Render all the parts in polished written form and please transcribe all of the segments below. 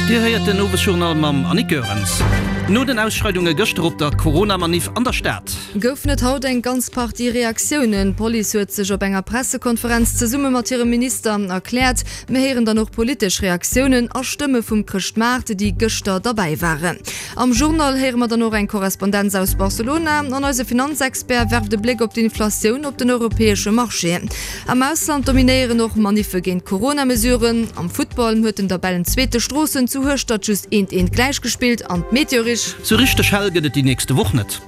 Dir héiert den Owesjournal mam Annick Goerens. No den Ausschreidunge gëschter op der Corona-Maniff an der Stad. Goufen et haut eng ganz Partie Reaktiounen. D'Police huet sech op enger Pressekonferenz zesumme mat hirem Minister erkläert. Mir héieren dann och politesch Reaktiounen a Stëmme vum Chrëschtmaart, déi gëschter derbäi waren. Am Journal héiere mer dann och eng Korrespondenz aus Barcelona an eise Finanzexpert werft e Bléck op d'Inflatioun op den europäesche Marchéen. Am Ausland dominéieren och Maniffe géint d'Corona-Mesuren. Am Futtball huet den Tabellenzweete Stroossen zu Hueschtert just eent eent gläichgespillt an d'Meteorich. Sou richteg hell gëtt et déi nächste Woch net.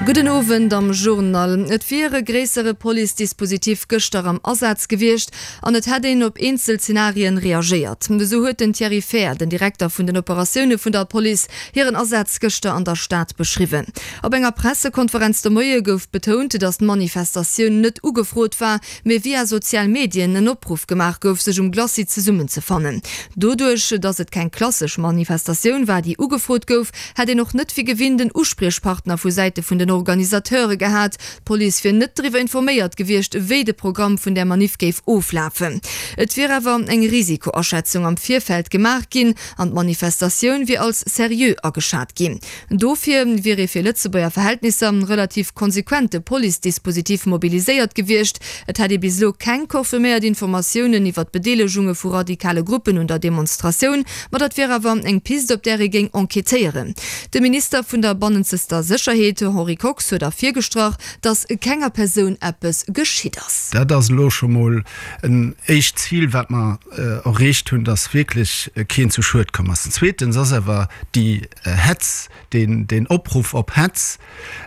Gudden Owend am Journal. Et wier e gréissere Police-Dispositif gëschter am Asaz gewiescht an et hätt een op eenzel Zenarien reagéiert. Esou huet den Thierry Fehr, den Direkter vun den Operatioune vun der Police, hiren Asaz gëschter an der Stad beschriwwen. Op enger Pressekonferenz de Moie gouf betount, datt d'Manifestatioun net ugefrot war, mee via sozial Medien en Opruff gemaach gouf, sech um Glacis zesummenzefannen. Doduerch, datt et keng klassesch Manifestatioun war, déi ugefrot gouf, hätt een och net wéi gewinnt en Uspriechpartner vu Säite vun den Organisateure gehat. D'Police wier net driwwer informéiert gewiescht, wéi de Programm vun där Maniff géif oflafen. Et wier awer eng Risikoaschätzung am Virfeld gemaach ginn an d'Manifestatioun wier als seriö ageschat ginn. Dofir wier ee fir Lëtzebuerger Verhältnisser relativ konsequente Police-Dispositif mobiliséiert gewiescht. Et hätt ee bis elo keng confirméiert Informatiounen iwwer d'Bedeelegunge vu radikale Gruppen un der Demonstratioun, ma dat wier awer eng Pist, op där ee géing enquêtéieren. De Minister vun der bannenzester Sécherheet, Henri Kox, huet ervirgestrach, datt kenger Persoun eppes geschitt ass. Dat ass elo scho mol en éischt Zil, wat mer erreecht hunn, datt wierklech keen zu Schued komm ass. Zweetens ass awer déi Hetz, deen Opruff op Hetz,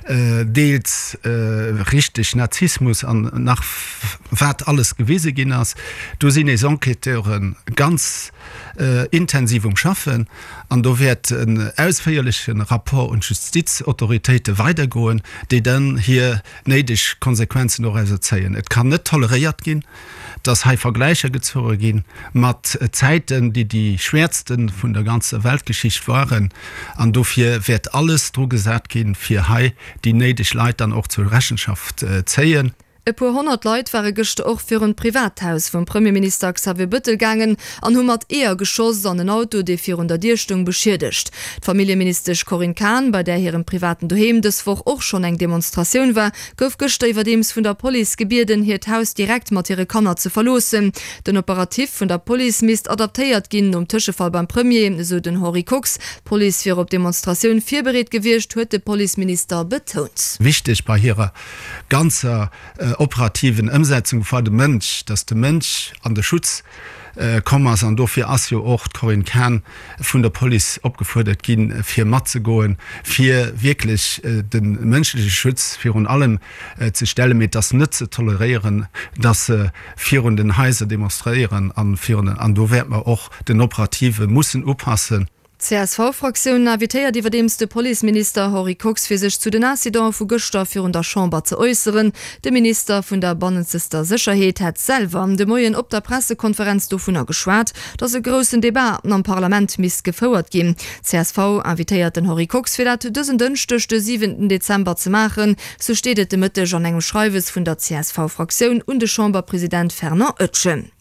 deels richteg Nazismus an nach wat alles gewise ginn ass, do sinn eis Enquêteure ganz intensiv um Schaffen an do wäert en ausféierleche Rapport un d'Justizautoritéite weidergoen, déi dann hir néideg Konsequenzen dorauser zéien. Et kann net toleréiert ginn, dass hei Vergläicher gezoge gi mat Zäiten, déi déi schwäerste vun der ganzer Weltgeschicht waren. An dofir wäert alles dru gesat ginn, fir hei déi néideg Leit dann och zur Rechenschaft zéien. E puer 100 Leit ware gëschter och virun d'Privathaus vum Premierminister Xavier Bëttel gaangen an hu mat Eeër geschoss an en Auto, dee virun der Dier stoung, beschiedegt. D'Familljeministesch Corinne Cahen, bei där hirem privaten Doheem dës Woch och schonn eng Demonstratioun war, gouf gëschter iwwerdeems vun der Police gebieden, hiert Haus direkt mat hire Kanner ze verloossen. Den Operatif vun der Police misst adaptéiert ginn nom Tëschefall beim Premier, esou den Henri Kox. D'Police wier op d'Demonstratioun virbereet gewiescht, huet de Policeminister betount. Wichteg bei hirer ganzer operativen Ëmsetzung war de Mënsch, datt de Mënsch an de Schutz komm ass. An dofir ass jo och d'Corinne Cahen vun der Police opgefuerdert ginn, fir matzegoen, fir wierklech de mënschleche Schutz virun allem ze stellen. Mee et ass net ze toleréieren, datt se virun den Haiser demonstréieren an virun den, an do wäerte mer och den Operative mussen upassen. D'CSV-Fraktioun invitéiert iwwerdeems de Policeminister Henri Kox fir sech zu den Incidente vu gëschter virun der Chamber ze äusseren. De Minister vun der bannenzester Sécherheet hätt selwer de Moien op der Pressekonferenz dovunner geschwat, datt e groussen Debat am Parlament misst gefouert ginn. Csv invitéiert den Henri Kox fir dat dësen Dënschdeg, de siwenten Dezember ze maachen. Sou steet et de Mëtteg an engem Schreiwes vun der CSV-Fraktioun un de Chamberpresident Fernand Etgen.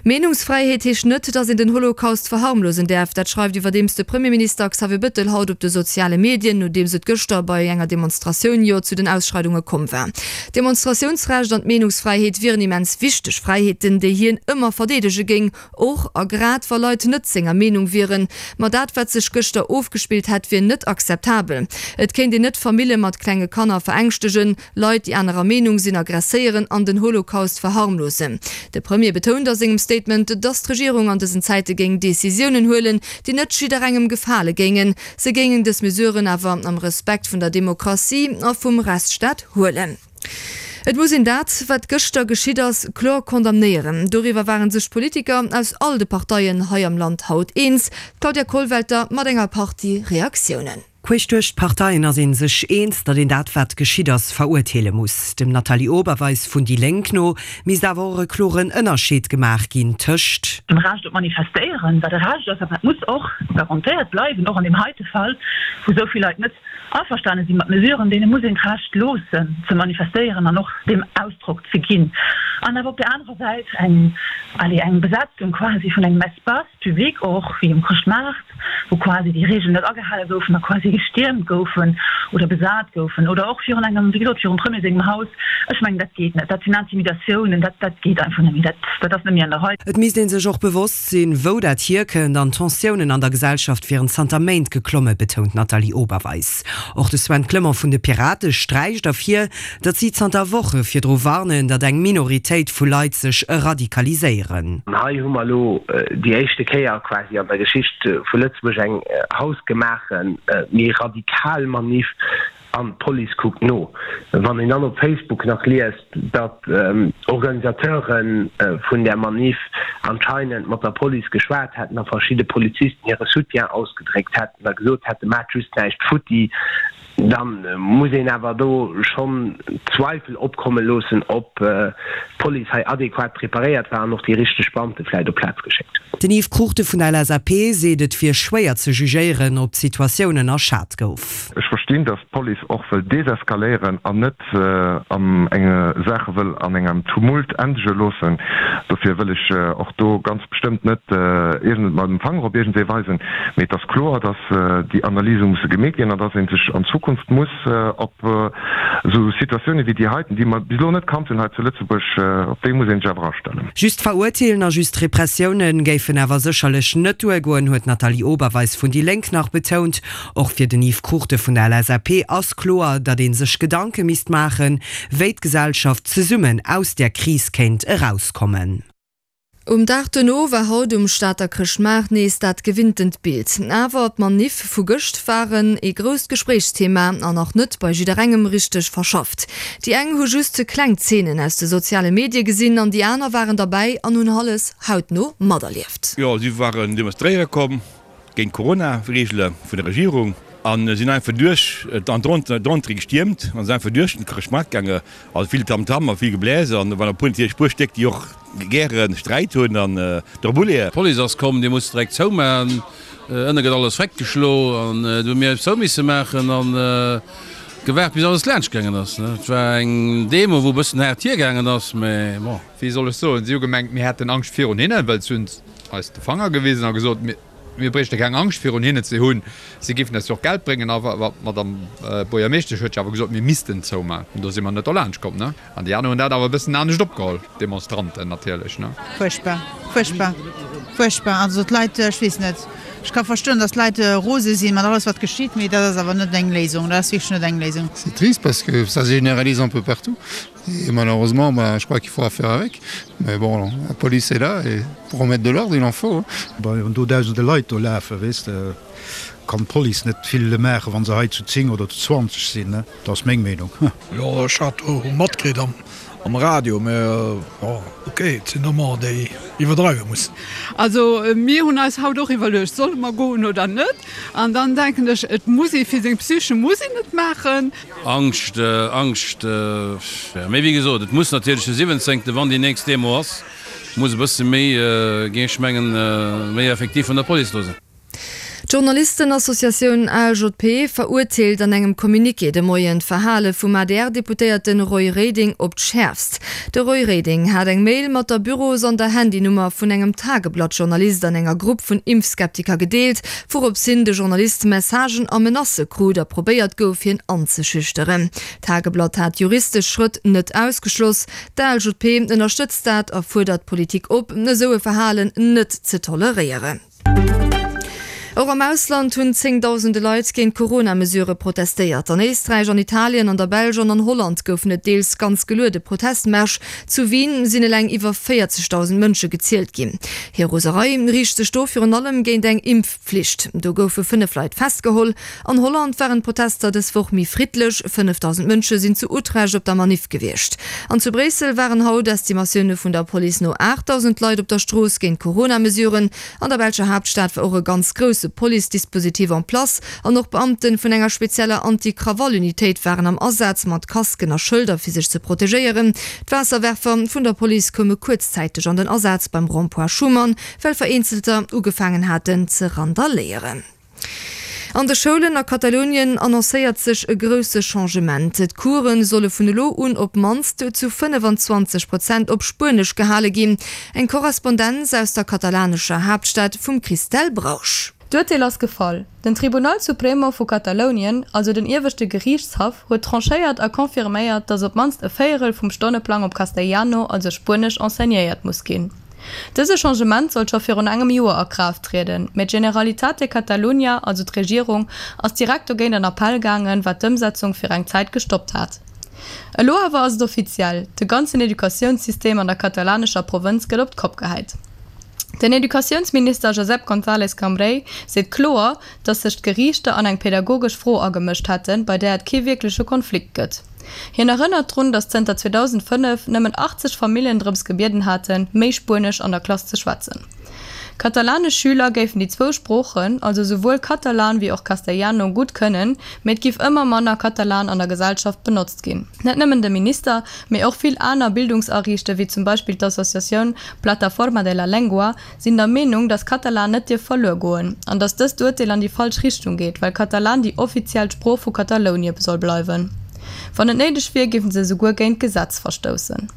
Meenungsfräiheet heescht net, datt een den Holocaust verharmlosen däerf. Dat schreift iwwerdeems de Premierminister Xavier Bëttel haut op de soziale Medien, nodeems et gëschter bei enger Demonstratioun jo zu den Ausschreidunge komm war. D'Demonstratiounsrecht an d'Meenungsfräiheet wieren immens wichteg Fräiheeten, déi hien ëmmer verdeedege géing, och a grad wa Leit net senger Meenung wieren. Ma dat, wat sech gëschter ofgespillt hätt, wier net akzeptabel. Et kéint een net Famille mat klenge Kanner verängschtegen, Leit, déi anerer Meenung sinn, aggresséieren an den Holocaust verharmlosen. De Premier betount a sengem Statement, datt d'Regierung an dësen Zäite géing Decisiounen huelen, déi net jidderengem gefale géingen. Se géingen dës Mesuren awer am Respekt vun der Demokratie a vum Rechtsstaat huelen. Et muss een dat, wat gëschter geschitt ass, kloer condamnéieren. Doriwwer ware sech d'Politiker aus all de Parteien hei am Land haut eens. D'Claudia Kollwelter mat enger Partie Reaktiounen. Queesch duerch d'Parteien ass ee sech eens, datt een dat, wat geschitt ass, verurteele muss. Dem Nathalie Oberweis vun déi Lénk no misst awer och e kloren Ënnerscheed gemaach ginn tëscht. Dem Recht op Manifestéieren, wat e Recht ass a wat muss och garantéiert bleiwen, och an deem heite Fall, wou esou vill Leit net averstane si mat Mesuren, deene muss een d'Recht loossen ze manifestéieren an och deem Ausdrock ze ginn. An awer op där anerer Säit eng. Allez, eng Besetzung quasi vun engem Espace public och, wéi um Chrëschtmaart, wou quasi déi Regeln net agehale goufen a quasi gestiermt goufen oder besat goufen, oder och virun engem, wéi gesot, virum Premier sengem Haus. Ech mengen, dat geet net. Dat sinn Intimidatiounen, dat, dat geet einfach net méi. Dat, dat ass net méi an der Rei. Et misst ee sech och bewosst sinn, wou dat hierkënnt an d'Tensiounen an der Gesellschaft wieren zanter Méint geklomme, betount d'Nathalie Oberweis. Och de Sven Clement vun de Pirate sträicht ervir, datt si zanter Woche virdru warnen, datt eng Minoritéit vu Leit sech radikaliséieren. An hei hu mer elo déi éischte Kéier quasi an der Geschicht vu Lëtzebuerg eng hausgemaache méi radikal Maniff an d'Police kuckt no. Wann een dann op Facebook nach liest, datt Organisateure vun där Maniff anscheinend mat der Police geschwat hätten a verschidde Polizisten hire Soutien ausgedréckt hätten a gesot hätten, maacht just näischt futti, Da muss een awer do schonn Zweifel opkomme loossen, ob d'Police hei adequat preparéiert war an och déi richteg Beamte vläicht op d'Plaz geschéckt huet. Den Yves Cruchten vun der LSAP seet, et wier schwéier ze jugéieren, ob d'Situatioun ënnerschat gouf. Ech verstinn, datt d'Police och wëll deseskaléieren an net eng Saache wëll an engem Tumult endege loossen. Dofir wëll ech och do ganz bestëmmt net iergend mam Fanger op iergendwee weisen. Mee et ass kloer, datt déi Analyse musse gemeet ginn an datt ee sech an Zukunft muss op esou Situatioune wéi déi heiten, déi mer bis elo net kannt hunn hei zu Lëtzebuerg, op déi muss ee sech awer astellen. Just verurteelen a just Repressioune géifen awer sécherlech net duergoen, huet d'Nathalie Oberweis vun déi Lénk nach betount. Och fir den Yves Cruchten vun der LSAP ass kloer, datt ee sech Gedanke misst maachen, wéi d'Gesellschaft zesummen aus där Kris kéint erauskommen. Um Dag duerno war haut um Stater Chrëschtmaart nees dat gewinntent Bild. Awer d'Maniff vu gëscht waren ee grousst Gespréichsthema an nach net bei jidderengem richteg verschafft. Déi eng hu just kleng Zeenen aus de soziale Medie gesinn an déi aner waren derbäi an hunn alles hautno materlieft. Jo, si waren demonstréiere komm. Géint d'Corona-Reegele vun der Regierung a sinn einfach duerch an d'Entrée gestiermt an sinn einfach duerch den Chrëschtmaart gaange. Also vill Tamtam a vill Gebläse an do waren e puer natierlech e puer Stéck, déi och gäre Sträit hunn an drop uleeën. D'Police ass komm, déi muss direkt zoumaachen, ënne gëtt alles weggeschlo an du hu mir zou misse maachen an gewaart bis alles laanscht gaangen ass. Et war eng Demo wou e bëssen haart hiergaangen ass, mä bon. Wéi soll ech soen, si hu gemengt, mir hätten Angscht virun hinnen, well si hunn eis de Fanger gewisen a gesot, mir bréichte keng Angscht virun hinnen ze hunn, si géifen eis jo och Geld bréngen. A d'Madame Buergermeeschtesch huet jo awer gesot, mir missten zoumaachen. Do si mer net dolaanscht komm. An déi aner hunn dat awer e bëssen anescht opgeholl, d'Demonstranten natierlech. Fuerchtbar, fuerchtbar, fuerchtbar. Also d'Leit, ech weess net, ech ka verstoen, datt d'Leit rose sinn mat alles wat geschitt, mee dat ass awer net eng Léisung, dat ass wierklech net eng Léisung. C'est triste parce que ça se généralise un peu partout. Et malheureusement bah, je crois qu'il faudra faire avec. Mais bon, la police est là et pour remettre de l'ordre, il en faut. Wann do dausende Leit do lafen, weess de, kann d'Police net vill maachen, wa se hei zu 10 oder zu 20 sinn. Dat ass meng Meenung. Jo, ech hat do matkritt am Radio, mä jo, ok, et sinn ëmmer déi iwwerdreiwe mussen. Also mir hunn eis haut och iwwerluecht, solle mer goen oder net? An dann denken ech, et muss ee fir seng Psyche muss een et maachen. Angscht, Angscht, jo, mee wéi gesot, et muss natierlech de siwwenzéngten, wann déi nächst Demo ass, muss e bësse méi, géing ech mengen, méi effektiv vun der Police do sinn. D'Journalistenassociatioun ALJP verurteelt an engem Communiqué de Moien d'Verhale vum ADR-Deputéierte Roy Reding op d'Schäerfst. De Roy Reding hat eng Mail mat der Büros an der Handynummer vun engem Tageblatt-Journalist an enger Grupp vun Impfskeptiker gedeelt, Wourops hin de Journalist Messagen a Menacë krut a probéiert gouf, hien anzeschüchteren. D'Tageblatt hat juristesch Schrëtt net ausgeschloss. D'ALJP ënnerstëtzt dat a fuerdert d'Politik op, esou e Verhalen net ze toleréieren. Och am Ausland hunn zéngdausende Leit géint d'Corona-Mesurë protestéiert. An Éisträich, an Italien, an der Belsch an an Holland goufen et deels ganz geluede Protestmärsch. Zu Wien sinn eleng iwwer 40.000 Mënsche gezielt ginn. Hir Roserei riicht sech do virun allem géint eng Impfpflicht. Do goufe 5 Leit festgeholl. An Holland waren d'Protester dës Woch méi friddlech, 5.000 Mënsche sinn zu Utrecht op der Maniff gewiescht. An zu Bréissel waren haut, Estimatioune vun der Police no, 8.000 Leit op der Strooss géint d'Corona-Mesuren. An der belscher Haaptstad war och e ganz grousse Police-Dispositif en place an och Beamte vun enger spezieller Anti-Krawall-Unitéit waren am Asaz mat Casquen a Schëlder fir sech ze protegéieren. D'Waasserwerfer vun der Police koume kuerzzäiteg an den Asaz beim Rond-point Schuman, well vereenzelter ugefaangen haten ze randaléieren. An de Schoulen a Katalounien annoncéiert sech e grousse Changement. D'Course solle vun elo un op d'mannst zu 25 Prozent op Spuenesch gehale ginn. Eng Korrespondenz aus der katalanescher Haaptstad vum Christelle Brausch. D'Urteel ass gefall. Den Tribunal Supremo vu Katalounien, also den ieweschte Geriichtshaff, huet tranchéiert a confirméiert, datt op d'mannst e Véierel vum Stonneplang op Castellano, also Spuenesch, enseignéiert muss ginn. Dëse Changement sollt scho virun engem Joer a Kraaft trieden, mä d'Generalitat de Catalunya, also d'Regierung, ass direkt dogéint an Appell gaangen, wat d'Ëmsetzung fir eng Zäit gestoppt hat. Elo awer ass et offiziell, de ganzen Educatiounssystem an der katalanescher Provënz gëtt op d'Kopp gehäit. Den Educatiounsminister Josep González Cambray seet kloer, datt sech d'Geriichter an eng pädagogesch Fro agemëscht hätten, bei där et kee wierkleche Konflikt gëtt. Hien erënnert drun, datt zënter 2005 nëmmen 80 Familljen drëms gebieden haten, méi Spuenesch an der Klass ze schwätzen. Katalanesch Schüler géifen déi zwou Sproochen, also souwuel Katalan wéi och Castellano, gutt kënnen, mee et giff ëmmer manner Katalan an der Gesellschaft benotzt ginn. Net nëmmen de Minister, mee och vill aner Bildungsariichte wéi zum Beispill d'Associatioun Plataforma de la Lengua sinn der Meenung, datt Katalan net dierf verluer goen an datt dëst Urteel an déi falsch Richtung geet, well Katalan déi offiziell Sprooch vu Katalonie soll bleiwen. Wann et néideg wier, géife se esouguer géint d'Gesetz verstoussen.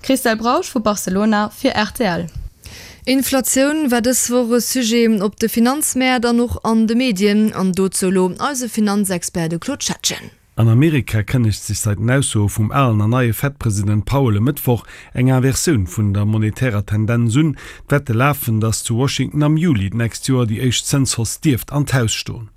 Christelle Brausch vu Barcelona fir rtl. Inflatioun war dës Woch e Sujet op de Finanzmäert an och an de Medien. An dozou elo eise Finanzexpert, de Claude Schettgen. An Amerika kënnegt sech seit den Aussoe vum alen an neie Fed-President Powell e Mëttwoch eng Inversioun vun der monetärer Tendenz un. D'Wette lafen, datt zu Washington am Juli d'nächst Joer déi éischt Zënshausse dierft an d'Haus stoen.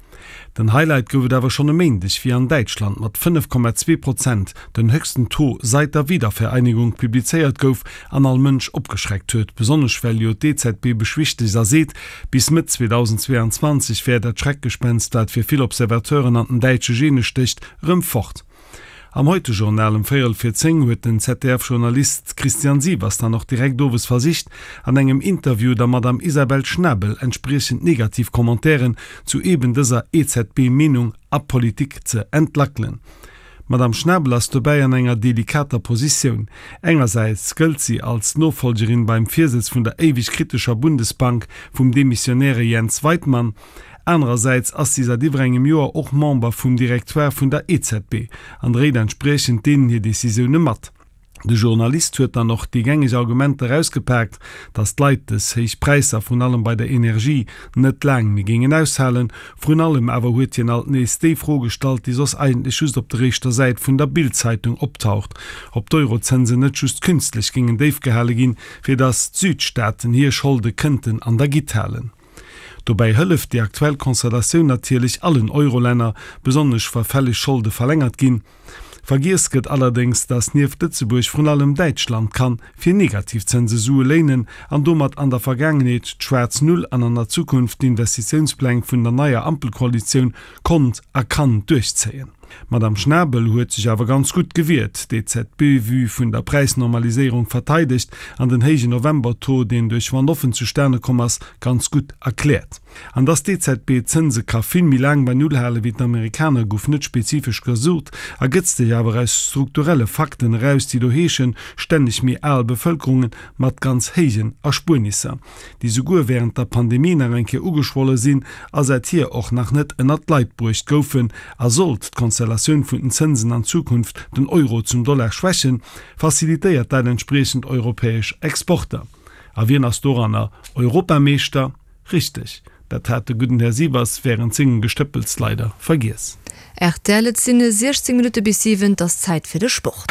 Den Highlight gouf et awer schonn e Méindeg, wéi an Däitschland mat 5,2 Prozent den höchsten Taux seit der Wiedervereinigung publizéiert gouf an all Mënsch opgeschreckt huet. Besonnesch well jo d'EZB beschwichtegt a seet, bis Mëtt 2022 wär dat Schreckgespenst, wat fir vill Observateuren an den däitsche Gene stécht, erëm fort. Am Heute-Journal um véierel vir 10 huet den ZDF-Journalist Christian Sievers dann och direkt owes versicht, an engem Interview der Madame Isabel Schnabel entspriechend negativ Commentairen zu eben dëser EZB-Meenung a Politik ze entlackelen. D'Madame Schnabel ass dobäi an enger delikater Positioun. Engersäits gëllt si als Nofollgerin beim Virsëtz vun der éiweg kritescher Bundesbank vum demissionäre Jens Weidmann, Anerersäits ass si säit iwwer engem Joer och Member vum Directoire vun der EZB an dréit entspriechend deenen hir Decisioune mat. De Journalist huet dann och déi gängeg Argumenter erausgepaakt, datt d'Leit dës héich Präisser, vrun allem bei der Energie, net laang méi géingen aushalen. Vrun allem awer huet hien alt nees déi Fro gestallt, déi soss eigentlech just op der éischter Säit vun der Bild-Zeitung optaucht, ob d'Eurozënsen net just künstlech géingen déif gehale ginn, fir datt d'Südstaaten hir Scholde kënnten an der Gitt halen. Dobäi hëlleft déi aktuell Konstellatioun natierlech allen Eurolänner, besonnesch wa fälleg Scholde verlängert ginn. Vergiess gëtt allerdéngs, datt nieft Lëtzebuerg vrun allem Däitschland kann fir Negativzënse Sue léinen an domat an der Vergaangenheet d'schwaarz Null an an der Zukunft d'Investitiounspläng vun der neier Ampelkoalitioun konnt a kann duerchzéien. D'Madame Schnabel huet sech awer ganz gutt gewiert, d'EZB-Vue vun der Präisnormaliséierung verteidegt an den héijen November-Taux, deen duerch One-Offen zustane komm ass, ganz gutt erkläert. An dass d'EZB d'Zënse ka vill méi laang bei Null hale wéi d'Amerikaner, gouf net spezifesch gesot, ergëtzt sech awer aus strukturelle Fakten eraus, déi do heeschen, stänneg méi al Bevëlkerungen mat ganz héijen Erspuernisser. déi souguer während der Pandemie nach eng Kéier ugeschwolle sinn a säithier och nach net ënnert d'Leit bruecht goufen, a sollt d'Konstellatioun vun den Zënsen an Zukunft den Euro zum Dollar schwächen, facilitéiert dat entspriechend europäesch Exporter. A wien ass doranner Europameeschter? Richteg, dat hat de gudden Här Sievers während sengem Gestëppels leider vergiess. Rtl, Et sinn 16 Minutte bis 7, et ass Zäit fir de Sport.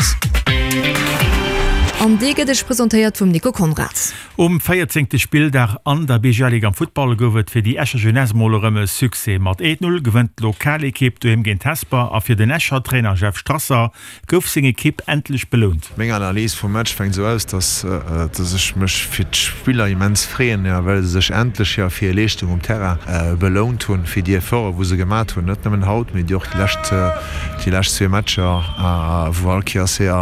An dee gëtt Iech presentéiert vum Nico Conrad. Um véierzéngte Spilldag an der BGL-Ligue am Futtball gouf et fir déi Escher Jeunesse mol erëm e Succès. Mat 1, 0 gewënnt d'Lokalekipp doheem géint Hesper a fir den Escher Trainer Jeff Strasser Gouf seng Ekipp endlech belount? Meng Analys vum Match fänkt esou aus, dass dass ech mech fir d'Spiller immens freeën, jo, well se sech endlech, jo, fir hir Leeschtung um Terrain belount hunn, fir déi Efforte wou se gemat hunn, net nëmmen haut, mee déi och déi lescht déi lescht zwee Matcher, wou all Kéiers, jo,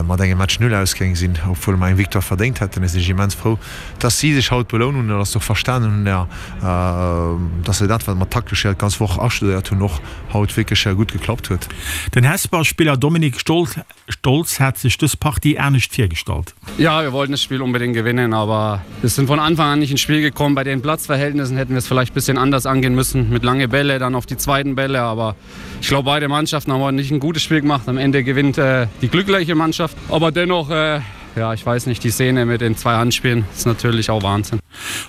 mat engem Match Nul ausgaangen. ausgaange sinn, obwuel mer eng Victoire verdéngt hätten. Ech sinn immens frou, dass si sech haut belount hunn an dass se och verstanen hunn, dass se dat, wat mer taktesch jo d'ganz Woch astudéiert hunn, och haut wierklech gutt geklappt huet. Den Hesper Spiller Dominik Stolz hat sech dës Partie anescht virgestallt. Ja, wir wollten das Spiel unbedingt gewinnen, aber wir sind von Anfang an nicht ins Spiel gekommen. Bei den Platzverhältnissen hätten wir es vielleicht bisschen anders angehen müssen, mit lange Bälle, dann auf die zweiten Bälle, aber ich glaube beide Mannschaften haben heute nicht ein gutes Spiel gemacht. Am Ende gewinnt äh, die glückliche Mannschaft, aber dennoch äh, ja ich weiß nicht die Szene mit den zwei Handspielen ist natürlich auch Wahnsinn.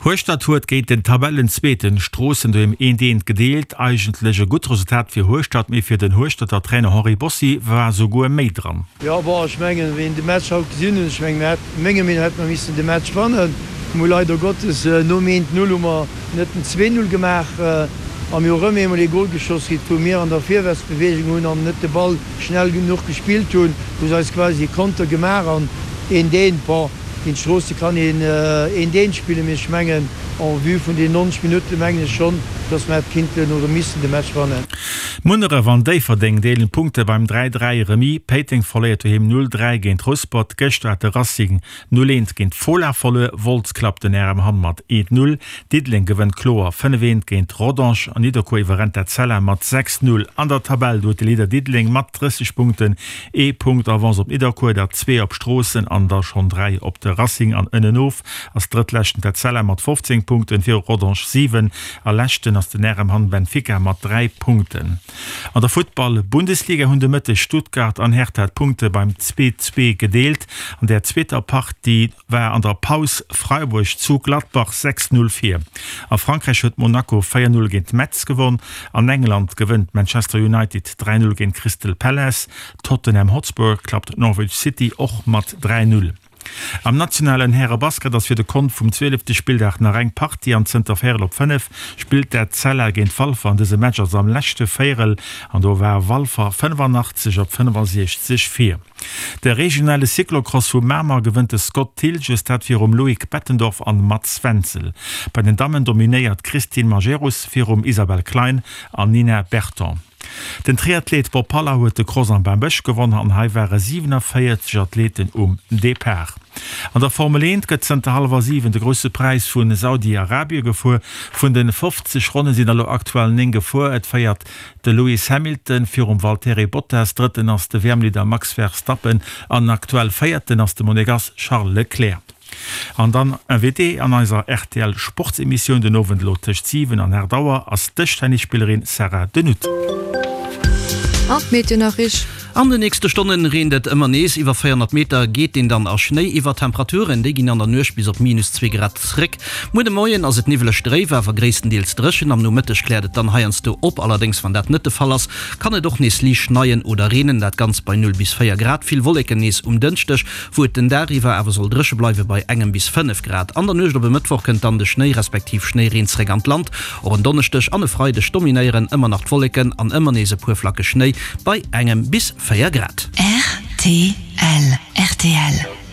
Hueschtert huet géint den Tabellenzweeten Stroossen doheem eent eent gedeelt. Eigentlech e gutt Resultat fir Hueschtert, mee fir den Hueschterter Trainer Henri Bossi war souguer méi dran. Jo bon, ech mengen wéi een de Match haut gesinn hunn, ech mengen mir hätt, menger Meenung hätte mer missen de Match wannen. Mir hu leider Gottes nom eent Null hu mer net den 2 Null gemaach a mir hu rëm eemol ee Gol geschoss kritt, wou mir an der Virwärtsbewegung hunn an net de Ball schnell genuch gespillt hunn, hu se eis quasi e Konter gemaach an een deen, bon, géint Stroossen kann een eent eent spillen, mee ech mengen en vue vun den 90 Minutten mengen ech schonn, dass mer hätt kinnten oder missten de Match wannen. Munneref an Déifferdeng deelen d'Punkte beim 3, 3 Remis. Péiteng verléiert doheem 0, 3 géint Rouspert. Gëschter hat de Racing 0, 1 géint Fola verluer. Wolz klappt den RM Hamm mat 1, 0. Diddeleng gewënnt kloer 5, 1 géint Rodange an Nidderkuer iwwerrennt d'Etzella mat 6, 0. An der Tabell huet de Leader Diddeleng mat 30 Punkten ee Punkt Avance op Nidderkuer, der zwee op Stroossen an der schonn 3 op de Racing an ënnenof ass Drëttleschten d'Etzella mat 15 Punkten, viru Rodange 7 a Leschten ass den RM Hamm Benfica mat 3 Punkten. An der Futtball-Bundesliga hunn de Mëtteg Stuttgart an Hertha d'Punkte beim 2, 2 gedeelt. An der zweeter Partie war an der Paus Freiburg zu Gladbach 6, 0 vir. A Frankräich huet Monaco 4, 0 géint Metz gewonn. An England gewënnt Manchester United 3, 0 géint Crystal Palace. Tottenham Hotspur klappt Norwich City och mat 3, 0. Am nationalen Härebasket ass fir de Kont vum zwielefte Spilldag nach eng Partie an zënter véierel op 5 spillt d'Etzella géint Walfer an dëse Match ass am leschte Véierel an do war Walfer 85 op 65 vir. De regionale Cyclocross vu Mamer gewënnt de Scott Thilges, dat virum Loïc Bettendorf an Mats Wenzel. Bei den Dammen dominéiert d'Christine Majerus virum Isabelle Klein an Nina Berton. Den Triathlet Bob Haller huet de Cross am Bambësch gewonn an hei ware 47 Athleten um Depart. An der Formel 1 gëtt zënter hallwer 7 de Grousse Präis vu Saudi-Arabie gefuer. Vun de 50 Ronne sinn der elo aktuell 9 gefuer. Et féiert De Lewis Hamilton virum Valtteri Bottas, Drëtten ass de WM-Leader Max Verstappen an aktuell Véierten ass de Monegass Charles Leclerc. An dann Invitée an eiser rtl Sportsemissioun den Owend elo tëscht 7 an 8 Auer ass d'Dëschtennisspillerin Sarah De Nutte. An d'Meteonachricht. An den nächste Stonnen reent et ëmmer nees, iwwer 400 Meter geet deen dann a Schnéi iwwer. D'Temperaturen, déi ginn an der Nuecht bis op minus 2 Grad zréck. Muer de Moien ass et niwweleg dréif, awer gréisstendeels dréchen. Am Nomëtteg kläert et dann heiansdo op, allerdéngs wann dat net de Fall ass, kann et och nees liicht schneien oder reenen, dat Ganzt bei 0 bis 4 Grad. Vill Wolleken nees um Dënschdeg, wou et den Dag iwwer awer soll dréche bleiwe bei engem bis 5 Grad. An der Nuecht op e Mëttwoch kënnt dann de Schnéi respektiv Schnéireen zréck an d'Land. Och en Donneschdeg an e Freideg dominéieren ëmmer nach d'Wolleken an ëmmer nees e puer Flacke Schnéi bei engem bis 4 Grad. Rtl rtl.